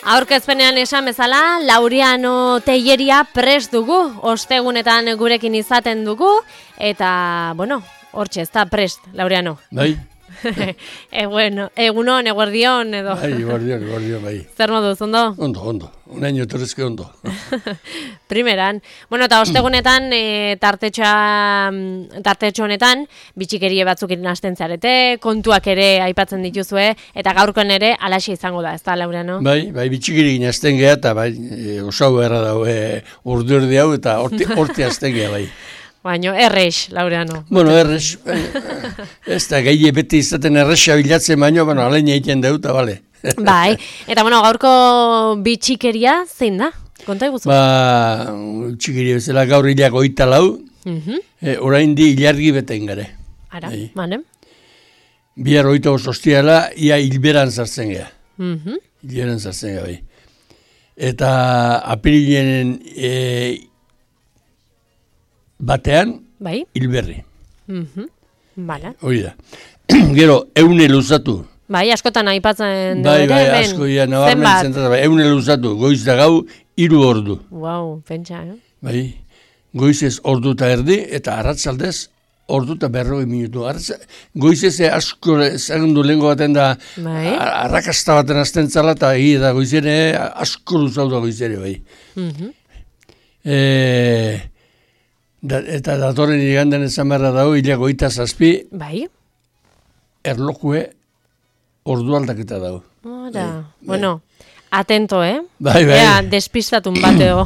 Aurkezpenean esan bezala, Laureano Telleria prest dugu, ostegunetan gurekin izaten dugu, eta, bueno, hortxe, ez da prest, Laureano. Bai. Bueno, egunon, eguerdion, edo. Bai, eguerdion, bai. Zer moduz, ondo? Ondo. Unaino etorrezke ondo. Primeran. Bueno, eta ostegunetan, tartetxo honetan, bitxikerie batzuk hasten zarete, kontuak ere aipatzen dituzue, eta gaurkoen ere alaxe izango da, ez da, Laureano? Bai, bitxikerie hasten geha, eta bai, osau erra dago, urduerdi hau, eta horti hasten geha, bai. Baina, errex, Laureano. Bueno, errex, ez da, gehi beti izaten errexia bilatzen baino, bueno, alain egiten deuta, bale. Bai, eta bueno, gaurko bitxikeria zein da? Konta iguzu? Bitxikeria bezala gaur hilak 24, orain di ilargi beten gare. Ara, bane. Bihar 25 ostiala, ia hilberan zartzen geha. Hilberan zartzen geha, bai. Eta apirilenen batean, bai? Hilberri. Bala. Hori da. Gero, eune luzatu. Bai, askotan aipatzen dugu. Bai, asko, ja, nabarmen zentrata. Eune luzatu, goiz da gau, 3 ordu. Wow, pentsa, Bai, goizez ordu eta erdi, eta arratzaldez ordu eta 40 minutu. Goizez asko zagundu lehenko baten da, arrakasta baten azten zala, eta da goizere asko luzau da goizere, bai. Eta datorren igandan ezan berra dago, hilako 27, bai. Erlojue ordu aldaketa dago. Ora, bueno, atento, Bai. Ea, despistatun bateo.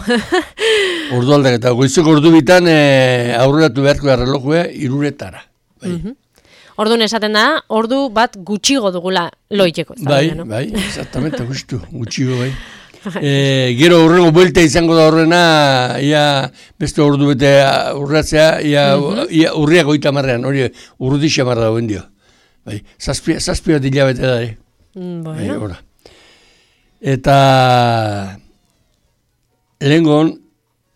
Ordu aldaketa, goizeko ordu bitan aurreratu beharko da relojue 3:00. Bai. Orduan esaten da, ordu bat gutxigo dugula loiteko. Bai, exactamente, gutxigo, bai. Gero horrengo buelta izango da horrena, ia beste ordu bete urratzea, ia urriak 30, hori urrudi xamarra dagoen dio. Bai, zazpi bat hilabete da, Bueno. Eta lehengon,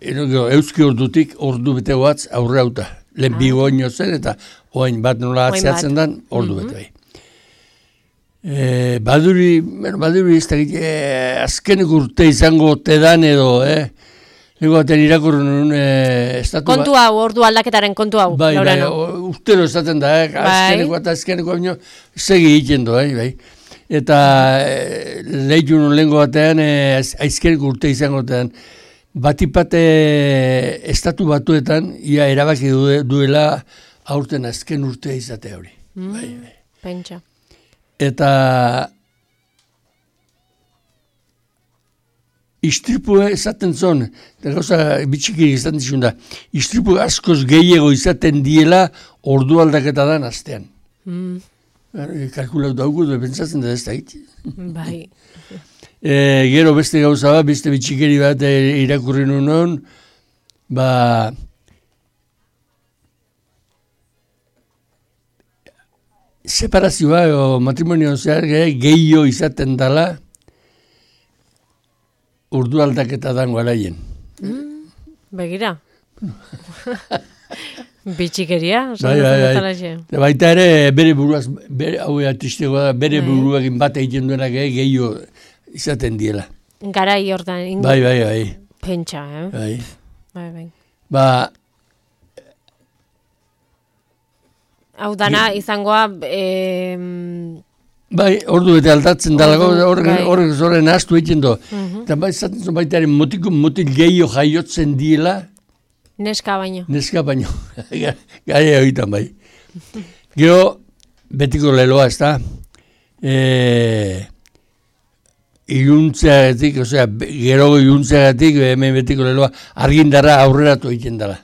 euski ordutik ordu bete batz aurre hauta. Lehen bigo ino zen, eta oain bat nola atzeatzen dan, ordu bete bai. Baduri ez da azkenek urte izango tedan edo, Lego batean irakurru nun estatu... Kontu hau, ordu aldaketaren kontu hau, Laurano. Bai, urtero esaten da, azkeneko eta azkeneko baino segi egiten du, bai. Eta lehitu nun lehenko batean, aizkeneko urte izango tedan, batipate estatu batuetan, ia erabaki duela aurten azken urtea izatea hori. Pentsa. Eta istripue esaten zon, eta gauza bitxikiri izaten dizun da, istripue askoz gehiago izaten diela ordu aldaketa dan astean. Kalkulatu daugu du, pentsatzen da ez da hit. Bai. Gero beste gauza bat, beste bitxikiri bat irakurri nuen, separazioa o matrimonio zehar gehiago izaten dela urdu aldaketa dango alaien. Begira. Bitxikeria. Bai. Baita ere, bere buruaz, hau tristego da, bere buruakin bat egiten duenak gehiago izaten diela. Garai hortan. Bai. Pentsa, Bai. Hau dana izangoa... Bai, ordu bete aldatzen dalago, horrek zoren astu egiten do. Eta izaten zuen baitaren motil gehiago jaiotzen diela. Neska baino. Gari egiten bai. Gero, betiko leloa, ez da. Iluntzeagatik, gero iluntzeagatik, hemen betiko leloa, argindarra aurreratu egiten dela.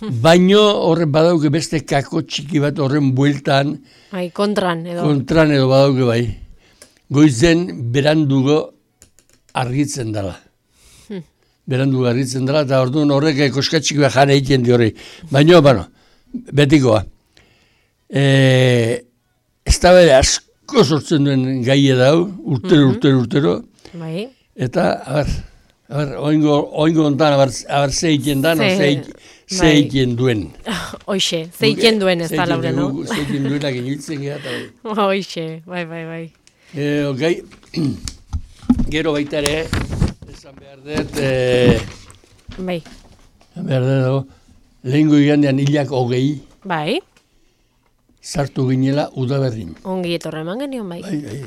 Baino horren badauke beste kako txiki bat horren bueltan. Kontran edo. Kontran edo badauke bai. Goizen berandugo argitzen dela. Berandugo argitzen dela, eta orduan horrek koskatxiki bat jane egiten di horri. Baino, betikoa. Ez da bere asko sortzen duen gaia dau, urtero. Bai. Eta, oingo ontan, ze egiten dan, ze egiten duen. Oixe, ze egiten duen ez da, Laurano. Ze egiten duenak iniltzen geha. Oixe, bai. Okay. gero baita ere, esan behar dut, Bai. behar dut, lehengo igandean hilak 20, Bai. sartu ginela udaberrin. Ongi etorra eman genion, bai. Bai.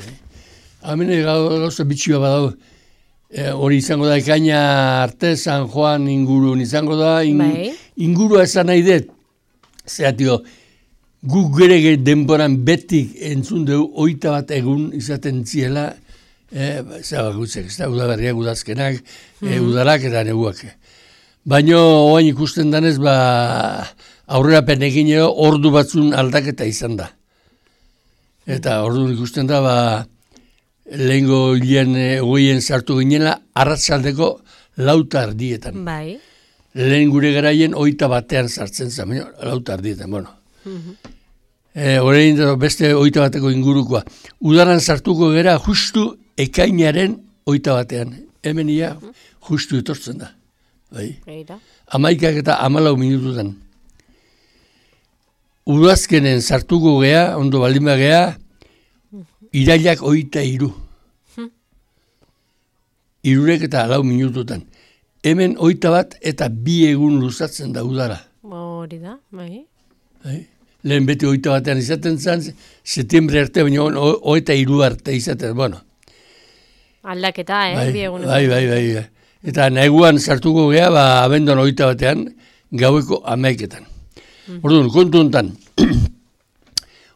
Hemen gauza bitxioa badau, hori izango da ekaina arte, San Juan ingurun izango da, ingurua esan nahi dut, zehatio, guk gere denboran betik entzun dugu 21 egun izaten ziela, zaba gutzek, ez da, udaberriak, udazkenak, udarak eta neguak. Baina oain ikusten danez, aurrera penekin ordu batzun aldaketa izan da. Eta ordu ikusten da, lehengo hilean goien sartu ginela, arratsaldeko 4:00 Bai. Lehen gure garaien 21 sartzen zen, 4:00, bueno. Horein beste 21 ingurukoa. Udaran sartuko gera justu ekainaren 21. Hemen ia justu etortzen da. Bai. 11 eta 14 minututan. Udazkenen sartuko gea, ondo baldin bagea, irailak 23. 3 eta 4 minututan. Hemen 21 eta 2 egun luzatzen da udara. Hori da, bai. Lehen beti 21 izaten zen, septiembre arte, baina 23 arte izaten, bueno. Aldaketa, bi egun. Bai. Eta neguan sartuko gea, abenduan 21 gaueko 11. Orduan, kontu honetan,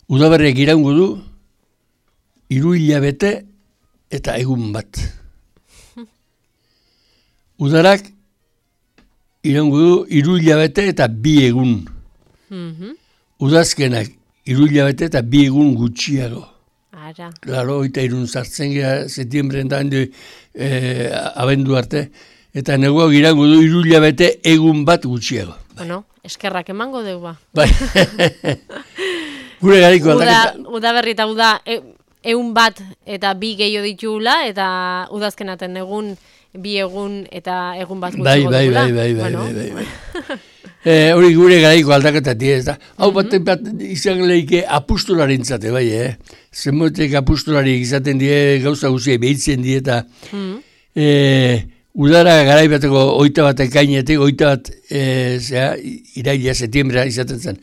udaberriak iraungo du, 3 hilabete eta egun bat. Udarak iraungo du 3 hilabete eta 2 egun. Udazkenak 3 hilabete eta 2 egun gutxiago. Ara. Claro, 23 sartzen gara, septiembren da, abendu arte, eta neguak iraungo du 3 hilabete egun bat gutxiago. Bueno, eskerrak emango dugu ba. Bai. Gure gariko aldaketa. Udaberri eta uda egun bat eta 2 gehiago ditugula, eta udazkenaten egun 2 egun eta egun bat gutxiago dugula. Bai. Hori gure garaiko aldaketa ez da. Hau bat izan lehike apustolarintzate, bai, Zenbotek apustolari izaten die, gauza guzia behitzen die, eta udara garaibateko 21 ekainetik, 21 iraila, septiembrea izaten zen.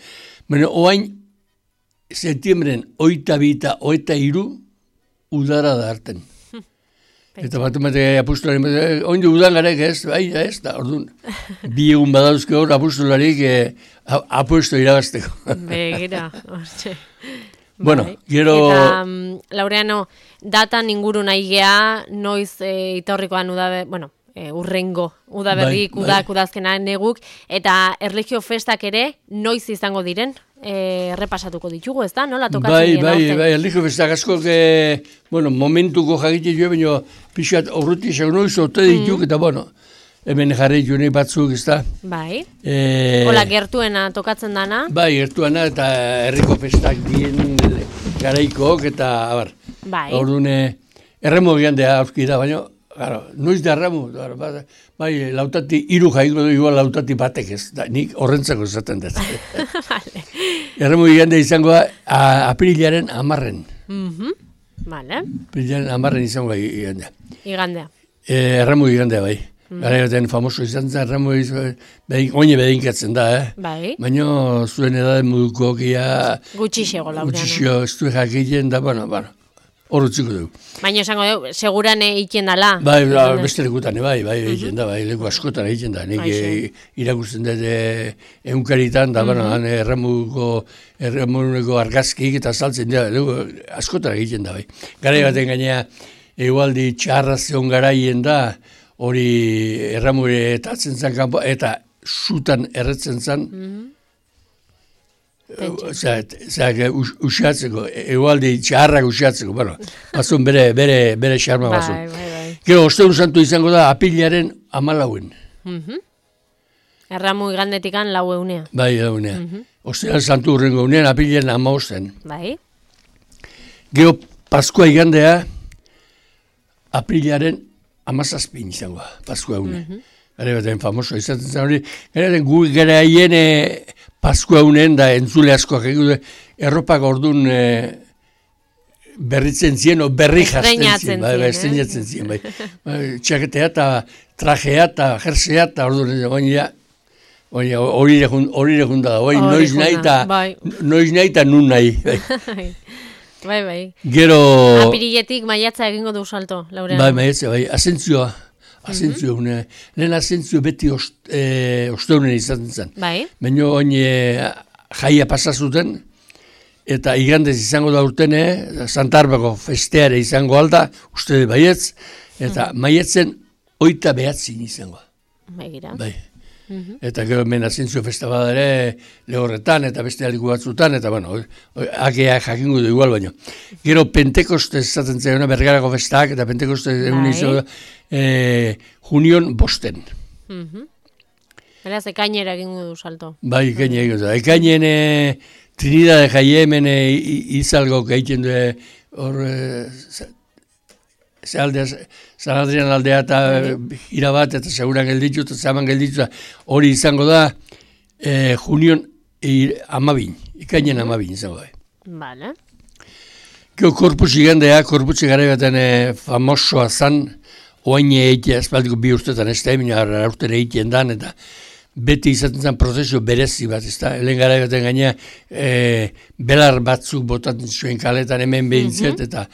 Baina, oain, septiembren 22 eta 23 udara da harten. Eta bat apustolari, oindu udan garek ez, bai, ez da, orduan, 2 egun badauzke hor apustolarik apuesto irabazteko. Begira, hortxe. Bueno, gero... Eta, Laureano, datan inguru nahi gea, noiz itorrikoan urrengo, udaberrik, udazkena neguk, eta erlijio festak ere, noiz izango diren, errepasatuko ditugu, ez da? Nola tokatzen dira? Bai, erlijio festak asko, momentuko jakite jo, baina pixat horreti esan noiz ote dituk, eta hemen jarri june batzuk, ez da? Bai. Hola, gertuena tokatzen dana? Bai, gertuena eta herriko festak dien garaikook eta, bai. Orduan, erremo gandea aurki da, baina, noiz da erremo, bai, lautati, 3 jaiko du, igual lautati batek ez, nik horrentzako esaten dut. Erremo gandea izango da, aprilaren 10. Vale. Aprilaren 10 izango da igandea. Igandea. Erremo gandea, bai. Gara gaten famoso izan zen, Ramo oine bedinkatzen da, Bai. Baina zuen edaden moduko kia... Gutxixego, Laureano. Gutxixo, ez du jakiten da, horretziko dugu. Baina esango dugu, seguran egiten dala. Bai, beste lekutan, bai, egiten da, leku askotan egiten da. Nik irakusten dut eunkaritan, da, Ramoneko argazkik eta saltzen da, askotan egiten da, bai. Gara gaten gainea, egualdi txarra zeon garaien da, hori erramure etatzen zen kanpo, eta sutan erretzen zen, usatzeko, egualdi txarrak usatzeko, bazun bere xarma bazun. Gero, ostegun santu izango da, apilaren 14. Erramu igandetikan 4 Bai, 4. Ostegun santu urrengo unean, apilaren 15. Bai. Gero, Paskua igandea, apilaren 17 izango, Paskua une. Gara baten famoso izaten zen hori. Gara baten gu gara hien Paskua unen da entzule askoak egin erropak orduan berritzen zien, o berri jazten zien, estreinatzen zien, bai. Txaketea eta trajea eta jersea eta hori lehunda da, noiz nahi eta nun nahi. Bai. Gero... Apiriletik maiatza egingo du salto, Laureano. Bai, maiatza, bai, asentzioa, lehen asentzio beti osteunen izaten zen. Bai. Baina jaia pasazuten, eta igandez izango da urtene, Santarbako festeare izango alda, uste baietz, eta maietzen 29 izango. Bai. Eta gero hemen asentzio festa bada ere lehorretan eta beste aliku batzutan, eta bueno, akea jakingo du igual baino. Gero Pentekoste esaten zaiona Bergarako festak, eta Pentekoste egun izango da junion 5. Beraz, ekainera egingo du salto. Bai, ekainera egingo du. Ekainen Trinidad jaie hemen izalgo egiten du hor San Adrian aldea eta irabat eta seguran gelditzu eta zaman gelditzu hori izango da junion 12, ekainen 12 izango da. Vale. Gero korpus igandea, korputze gara baten famosoa zan, oain eitea, espaldiko 2 urtetan ez da, emina urten eitien dan, eta beti izaten zen prozesio berezi bat, ez da, helen gara baten gainea belar batzuk botatzen zuen kaletan hemen behintzet, eta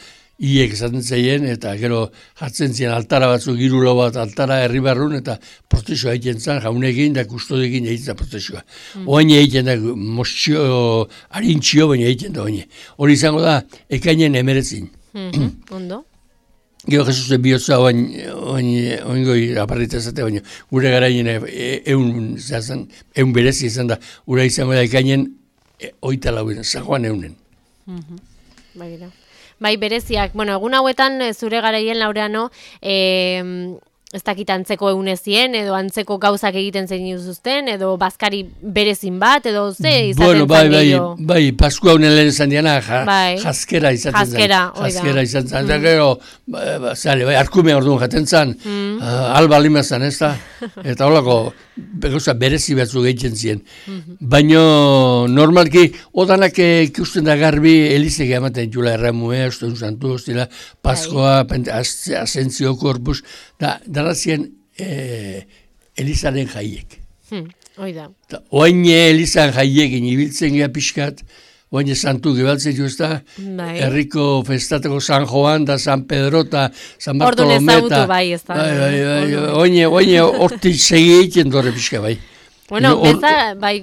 iek esaten zeien, eta gero jartzen ziren altara batzuk, 3 lau bat altara herri barrun, eta prozesioa egiten zen, jaunekin da kustodekin egiten zen prozesioa. Oain egiten da, mostxio, harintxio, baina egiten da oain. Hori izango da, ekainen 19. Ondo. Gero Jesus bihotza oingoi aparrita ezate, baina gure garaien eun berezi izan da, ura izango da ekainen 24, San Juan eunen. Bai, bereziak. Bueno, egun hauetan zure garaien Laureano, ez dakit antzeko eunezien, edo antzeko gauzak egiten zein zuzten, edo bazkari berezin bat, edo ze izaten zan gehiago? Bai, Paskua honen lehen izan diana, jaskera izaten zen. Jaskera izaten zen. Eta gero, bai, arkume orduan jaten zen, alba lima zen, ez da? Eta holako, gauza berezi batzu gehitzen ziren. Baina, normalki, odanak ikusten da garbi, elizek ematen jula erramue, uste santu, ostila, Paskoa, asentzio korpus, darazien Elizaren jaiek. Oida. Oain Elizan jaiekin ibiltzen gea pixkat, oain santu gebaltzen juzta, herriko festateko San Joan da San Pedro eta San Bartolome. Ordun ezagutu bai, ez da. Oain horti segi egiten dore pixka bai. Bueno, meza, bai,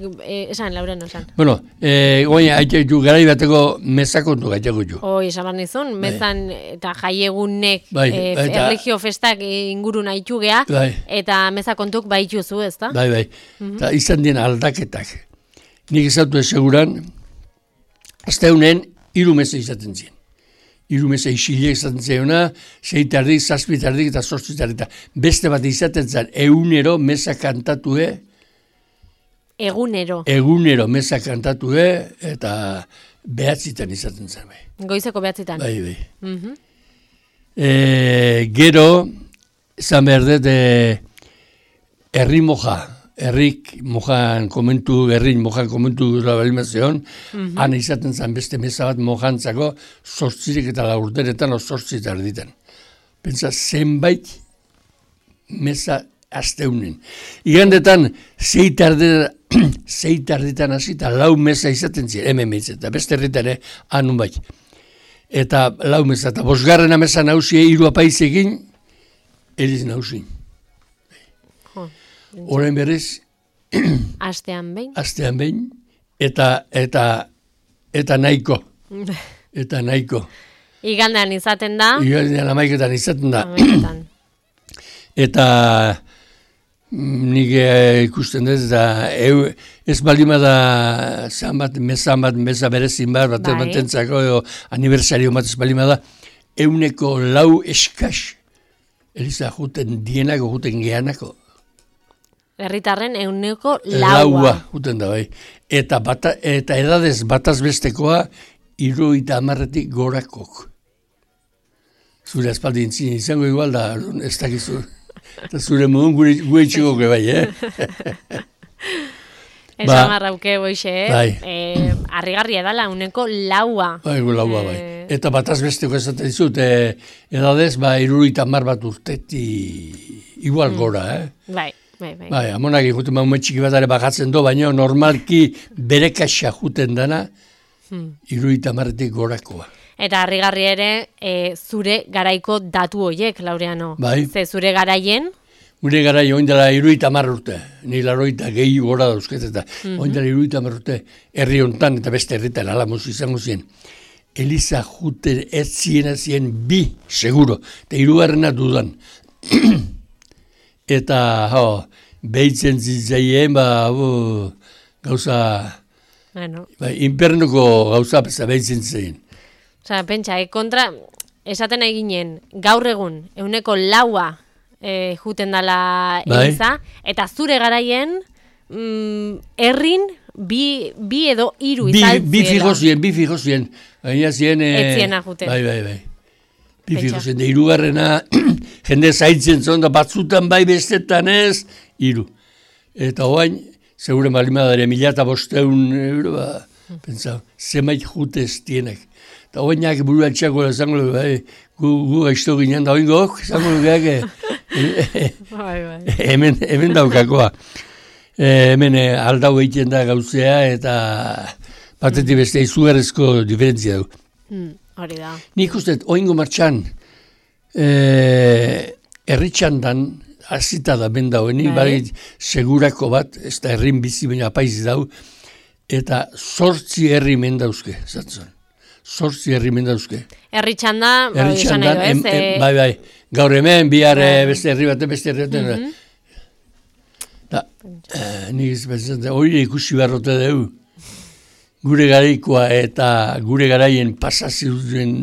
esan, Laureano, esan. Bueno, garai bateko mezakontu gaitako ju. Esan bat nizun, mezan eta jaiegunek erligio festak inguru nahitu gea, eta mezakontuk baituzu, ez da? Bai, eta izan dien aldaketak. Nik ezautu eseguran, azte honen, 3 meza izaten ziren. 3 meza isilek izaten ziena, 6 tardik, 7 tardik eta 8 tardik. Beste bat izaten zen, egunero meza kantatue, Egunero meza kantatu eta 9 izaten zen. Goizeko 9. Bai. Gero, izan behar dut, herrin mojan komentu da balimazion, han izaten zen beste meza bat mojantzako, 8 eta 4 o 8 tarditen. Pentsa, zenbait meza asteunen. Igandetan, 6 tarditan hasi eta 4 meza izaten ziren, hemen behitzen, eta beste herritan anun bai. Eta 4 meza, eta 5. meza nauzie 3 apaizekin, Eliz nauzin. Horain berez, Astean behin, eta nahiko. Igandean izaten da. Igandean 11etan izaten da. Eta nik ikusten dut, eta ez balima da meza berezin bat batentzako, aniversario bat ez balima da, 4 eskaz, Eliza juten dienako, juten geanako. Herritarren 4 juten da, bai. Eta edadez bataz bestekoa, 70 gorakok. Zure espaldi izango igual da, ez dakizu. Eta zure modun gure txikoke bai, Esan marrauke boixe, arrigarria dala, 4. Bai, 4, bai. Eta bataz besteko esaten dizut, edadez, 70 bat urteti igual gora, Bai. Bai, amonak ikuten ume txiki bat ere bajatzen do, baina normalki bere kaxa juten dana, 70 gorakoa. Eta harrigarri ere, zure garaiko datu hoiek, Laureano. Bai. Ze zure garaien? Gure garaien oindela 70 urte, ni 80 gehi gora dauzket, eta oindela 70 urte herri hontan eta beste herritan Alamoz izango ziren. Eliza juten ez zien bi, seguro, eta 3. dudan. Eta, behitzen zitzaien, gauza, infernuko gauza behitzen zitzaien. Osa, pentsa, kontra, esaten eginen, gaur egun, 4 juten dala Eliza, eta zure garaien, herrin, bi edo 3 izan Bi fijo zien. Baina zien... Etziena juten. Bai. Bi fijo zien. 3. Jende zaitzen zon, da batzutan bai bestetan ez, 3. Eta hoain, segure malimadare 1.500 euro, pentsau, zemait jute ez tienek. Eta hoainak buruan txako zango, gu gaizto ginen da hoingok, zango geak, hemen daukakoa. Hemen aldau egiten da gauzea eta batetik beste izugarrezko diferentzia du. Hori da. Nik uste, oingo martxan, herritxandan, azita da ben dauen, nik segurako bat, ez da herrin bizi baina apaiz dau, eta 8 herri mendauzke, zatzen. 8 herri mendauzke. Herritxanda, esan nahi du, ez? Bai, gaur hemen, bihar beste herri baten, nik izbetzen, hori ikusi beharrote dugu. Gure garaikoa eta gure garaien pasazioen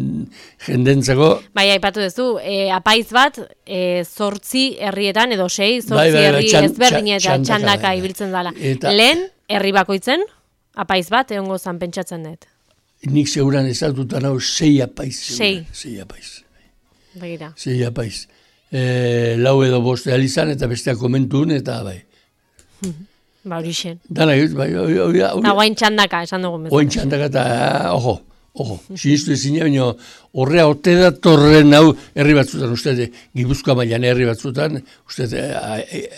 jendentzako. Bai, aipatu duzu, apaiz bat, 8 herrietan edo 6, 8 herri ezberdinetan txandaka ibiltzen dala. Lehen, herri bakoitzen, apaiz bat, egongo zan pentsatzen dut. Nik seguran ezaututan hau 6 apaiz. 6 apaiz. Begira. 6 apaiz. 4 edo 5 alizan eta besteak komentun eta bai. Ba, hori xen. Dana egit, bai. Oain txandaka, esan dugu. Oain txandaka eta, ojo. Sinistu ezin, baina horrea ote da torren hau herri batzutan, uste, Gipuzkoa mailan herri batzutan, uste,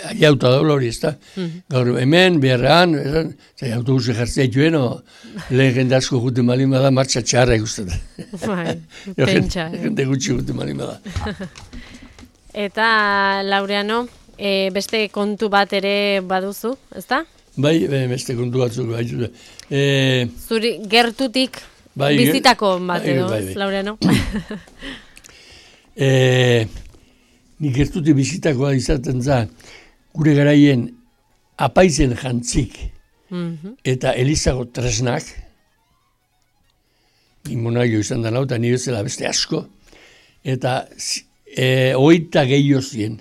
aiauta daula hori, ez da? Gaur hemen, beharrean, autobusi jartzea joen, lehen jende asko jute malin bada, martxa txarra ikusten. Bai, pentsa. Jende gutxi jute malin bada. Eta, Laureano, beste kontu bat ere baduzu, ezta? Bai, beste kontu batzuk. Zuri gertutik bizitako bat edo, Laureano? Nik gertutik bizitakoa izaten za, gure garaien apaizen jantzik eta Elizago tresnak, imonaio izan da nau, eta nire zela beste asko, eta 8 gehiago zien.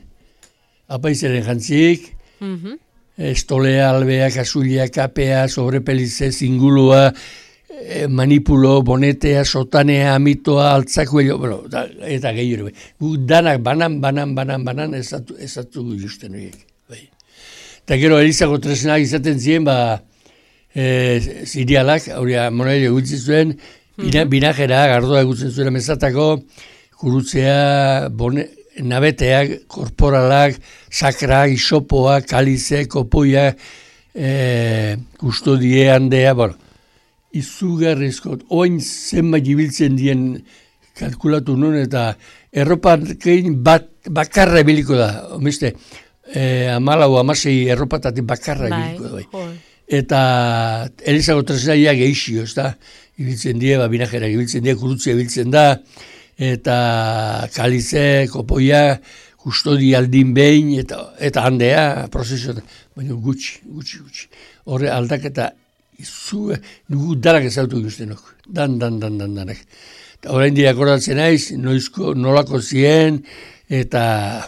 Apaizaren jantzik, estolea, albea, kasulia, kapea, sobrepelize, zingulua, manipulo, bonetea, sotanea, amitoa, altzako, eta gehiago. Danak banan, ezatu justen horiek. Eta gero Elizago tresnak izaten ziren, zirialak, hori monaile gutzi zuen, binajera, gardoa gutzen zuen amezatako, kurutzea, nabeteak, korporalak, sakrak, isopoak, kalizek, opoiak, kustodie handea, izugarrizko, oin zenbait ibiltzen dien kalkulatu nun, eta erropakein bakarra ebiliko da, omiste, 14-16 erropatatik bakarra ebiliko da. Eta Elizago tresnaia geixio, ez da, ibiltzen die, binajera ibiltzen die, kurutzea ibiltzen da, eta kalize, kopoia, kustodi aldin behin, eta handea, prozesio, baina gutxi. Horre aldaketa, nugu danak ezautu guztenok, danak. Eta horrein dira akordatzen naiz, nolako zien, eta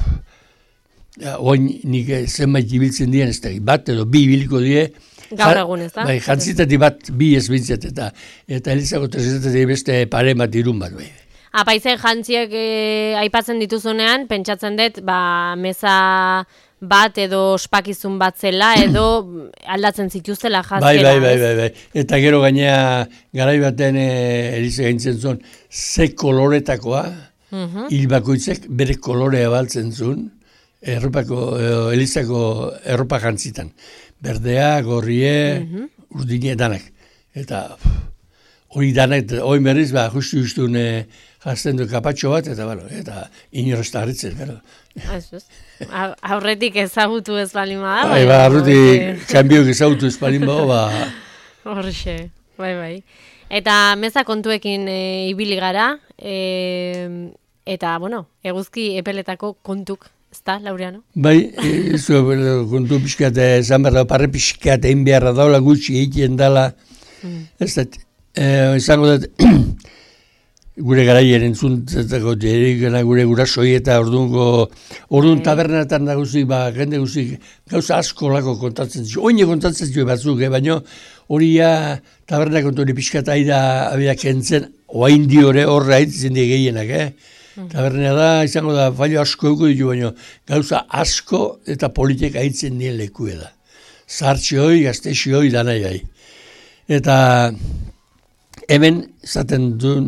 oin nik zenbait ibiltzen dien, ez da, bat edo bi ibiliko die, gaur egun, ez da? Bai, jantzitatik bat bi ez bintzat, eta Elizago tresetatik beste pare bat irun bat, bai. Apaizen jantziek aipatzen dituzunean, pentsatzen dut, meza bat edo ospakizun bat zela edo aldatzen zituztela jazkera. Bai. Eta gero gainea garai baten Eliza gaintzen zuen ze koloretakoa, hil bakoitzek bere kolorea baltzen zuen, Elizako erropa jantzitan. Berdea, gorrie, urdine danak. Eta hori danak, hori berriz, justu jazten du kapatxo bat, eta inorrezta harritzen, gero. Aurretik ezagutu ez balin bada. Aurretik kanbiok ezagutu ez balin bada, Horxe, bai. Eta meza kontuekin ibili gara, eta, eguzki epeletako kontuk, ezta, Laureano? Bai, kontu pixkat, esan behar da, parre pixkat, egin beharra daula gutxi egiten dela, ez da, izango da, gure garaiaren entzuntzatako gure gurasoi eta orduan tabernetan da guzik, jende guzik, gauza asko lako kontatzen zio, oine kontatzen zio batzuk, baina hori taberna kontu hori pixkat aida kentzen, oain diore horra haitzen die gehienak, Tabernea da, izango da, fallo asko euko ditu, baina gauza asko eta politek haitzen dien lekue da. Zartxe hoi, gaztexi hoi, danai bai. Eta hemen, zaten duen,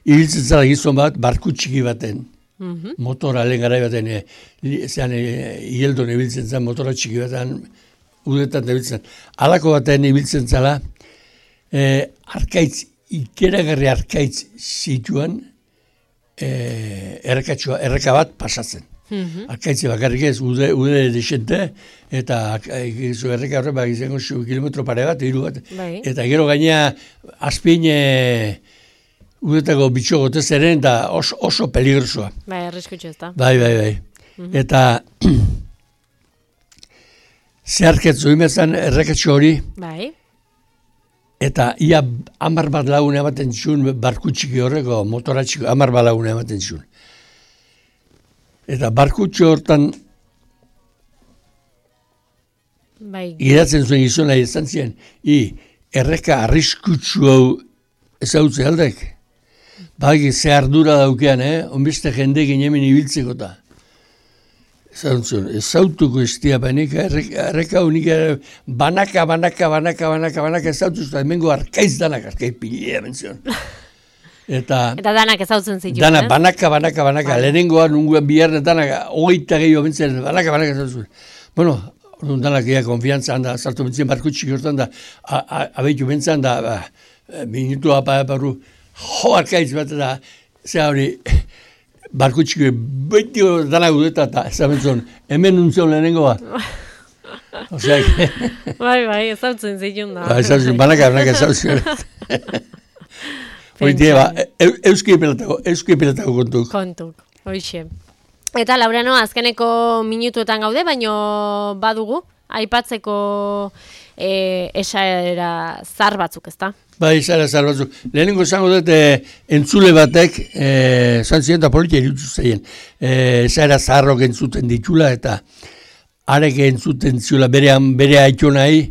ibiltzen zara gizon bat, barku txiki baten, motora lehen garai baten, igeldon ibiltzen zen, motora txiki baten, udetan ibiltzen. Halako baten ibiltzen zala, ikeragarri arkaitz zituan, erreka bat pasatzen. Arkaitze bakarrik ez, ude desente, eta erreka horre izango kilometro pare bat, hiru bat. Eta gero gainea, azpin udetako bitxo gotez eren, eta oso peligrosoa. Bai, arriskutxo ez da. Bai. Eta zeharketzu imezan errekatxo hori, eta ia 10 bat lagun ematen zuen barku txiki horreko, motora txiki, 10 bat lagun ematen zuen. Eta barku hortan giratzen zuen gizona izan ziren, erreka arriskutsu hau ezautze aldek. Bagi ze ardura daukean, onbiste jende ginemen ibiltzeko eta. Ezautuko estia panik, erreka unik banaka ezautuz, eta hemengo arkaiz danak, arkaiz pilea menzion. Eta danak ezautzen zitu. Danak, banaka, lehenengoa nunguan biharne danak, 20 gehiago mentzen, banaka ezautzen. Bueno, danak ea konfiantzan da, zartu mentzen barkutxik hortan da, abeitu mentzen da, minutu aparu, arkaiz bat da, zera hori, barkutxiko beti danak udeta eta ezabentzun, hemen nuntzen lehenengoa. Bai, ezautzen zitun da. Ezautzen, banaka ezautzen. Hoitea, euski epeletako kontuk. Hoixe. Eta Laureano, azkeneko minutuetan gaude, baino badugu, aipatzeko esaera zar batzuk, ezta? Bai, esaera zar batzuk. Lehenengo esango dut, entzule batek, zantzien eta politia irutu zeien, esaera zarrok entzuten ditula, eta arek entzuten zula bere haitxo nahi,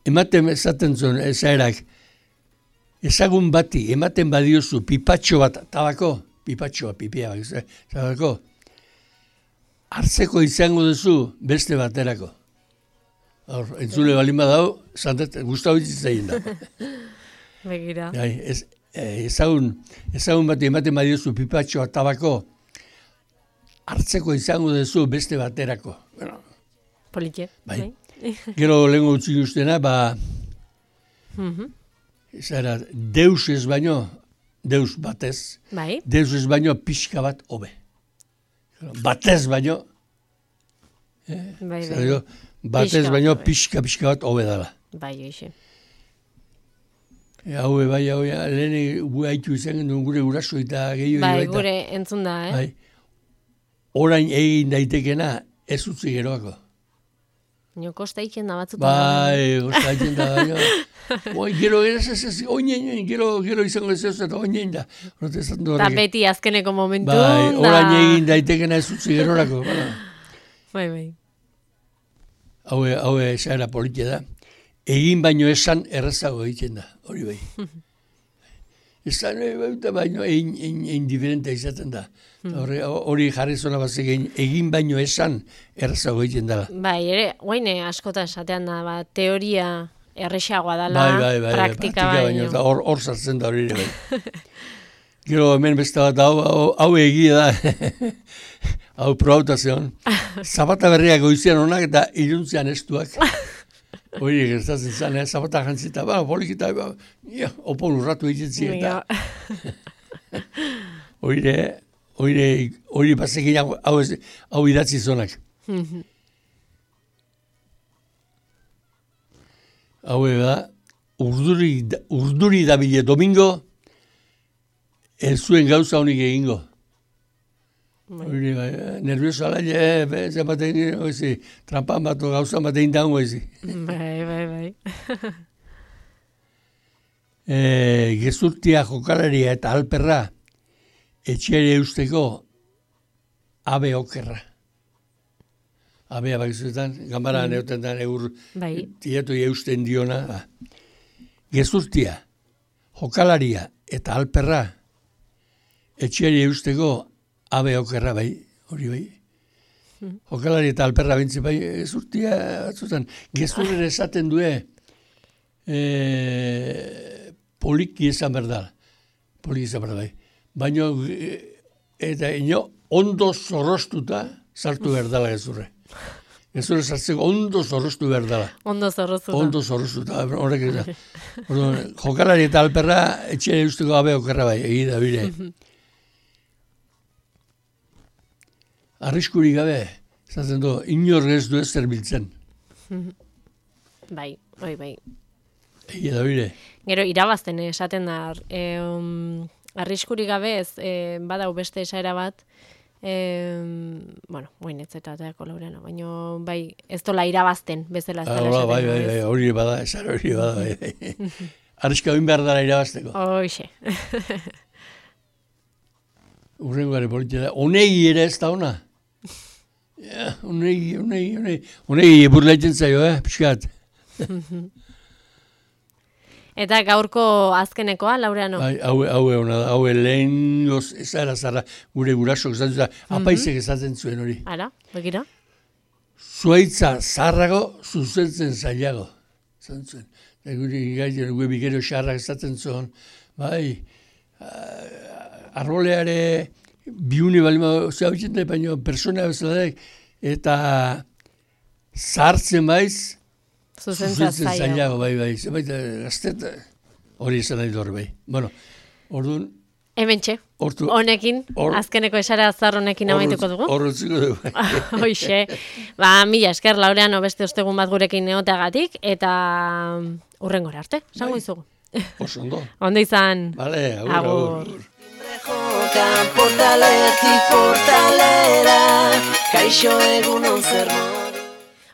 ematen esaten zuen esaerak, ezagun bati, ematen badiozu pipatxo bat, tabako, pipia, tabako, hartzeko izango duzu beste baterako. Entzule balin badau, guztau itzitzen da. Begira. Ezagun bati, ematen badiozu pipatxo bat, tabako, hartzeko izango duzu beste baterako. Politie. Bai. Gero lehenko utzi ustena, zara, deus ez baino, deus batez, deus ez baino pixka bat hobe. Batez baino, batez baino pixka bat hobe dala. Bai, eixe. Haue, lehen haitu izan gendun gure guraso eta gehiago. Bai, gure entzun da, Orain egin daitekena ez utzi geroako. Nio kosta iken da batzutan. Bai, kosta iken da, gero izango ez eta oinen da. Eta beti azkeneko momentu. Bai, orain egin daitekena ez utzi gerorako. Bai. Hau esaera politia da. Egin baino esan errazago egiten da, hori bai. Ezan, baino, egin diferentea izaten da. Hori jarri zona bazik egin baino esan errazago egiten dela. Bai, ere, guaine askota esatean da, teoria errexagoa dela, praktika baino. Hor sartzen da hori ere bai. Gero hemen beste bat, hau egia da, hau probautazion. Zapata berriak goizian honak eta iruntzean estuak. Hori gertatzen zen, zapata jantzita, polikita, opon urratu egiten eta. Hori bazekin hau idatzi zonak. Hau da, urduri dabile domingo, ez zuen gauza honik egingo. Hori, nervioso ala, zematen trampan bat, gauza bat egin daungo ezi. Bai. Gezurtia, jokalaria eta alperra etxeari eusteko abe okerra. Abea bakizuetan, gambara neoten da tieto eusten diona. Gezurtia, jokalaria eta alperra etxeari eusteko abe okerra bai, hori bai. Jokalari eta alperra bintzi bai, gezurtia batzutan. Gezurren esaten due poliki esan berdala. Poliki esan berdala bai. Baina eta ondo zorrostuta sartu berdala gezurre. Gezurre sartzeko ondo zorrostu berdala. Ondo zorrostuta. Ondo zorrostuta. Horrek ez da. Jokalari eta alperra etxeari eusteko abe okerra bai, egida bire. Arriskuri gabe, zaten du, inor ez du ez zerbiltzen. Bai. Egi da bire. Gero, irabazten esaten da, arriskuri gabe ez, badau beste esaera bat, guain ez eta Laureano, baina bai, ez dola irabazten, bezala ez dela esaten. Bai, hori bada, esan hori bada, bai. Arriska oin behar dara irabazteko. Hoxe. Urrengoare politia da, honegi ere ez da ona. Honegi burlaitzen zaio, pixkat. Eta gaurko azkenekoa, Laureano? Hau lehen ezara zara gure gurasok esatzen zuen, apaizek esaten zuen hori. Ara, begira? Zuaitza zarrago, zuzentzen zailago. Esaten zuen. Gure bikero xarrak esaten zuen, bai, arroleare biune balima zea bitxen da, baina persona bezala eta zartzen baiz, zuzentzen zailago, bai. Zebait, gaztet, hori esan nahi dure, bai. Bueno, orduan... Hementxe, honekin, azkeneko esara azar honekin amaituko dugu. Horretziko dugu. Hoxe, mila esker, Laureano, beste ostegun bat gurekin neoteagatik, eta hurrengora arte, zango izugu. Oso ondo. Ondo izan. Vale, agur. Portaletik portalera, kaixo egunon zer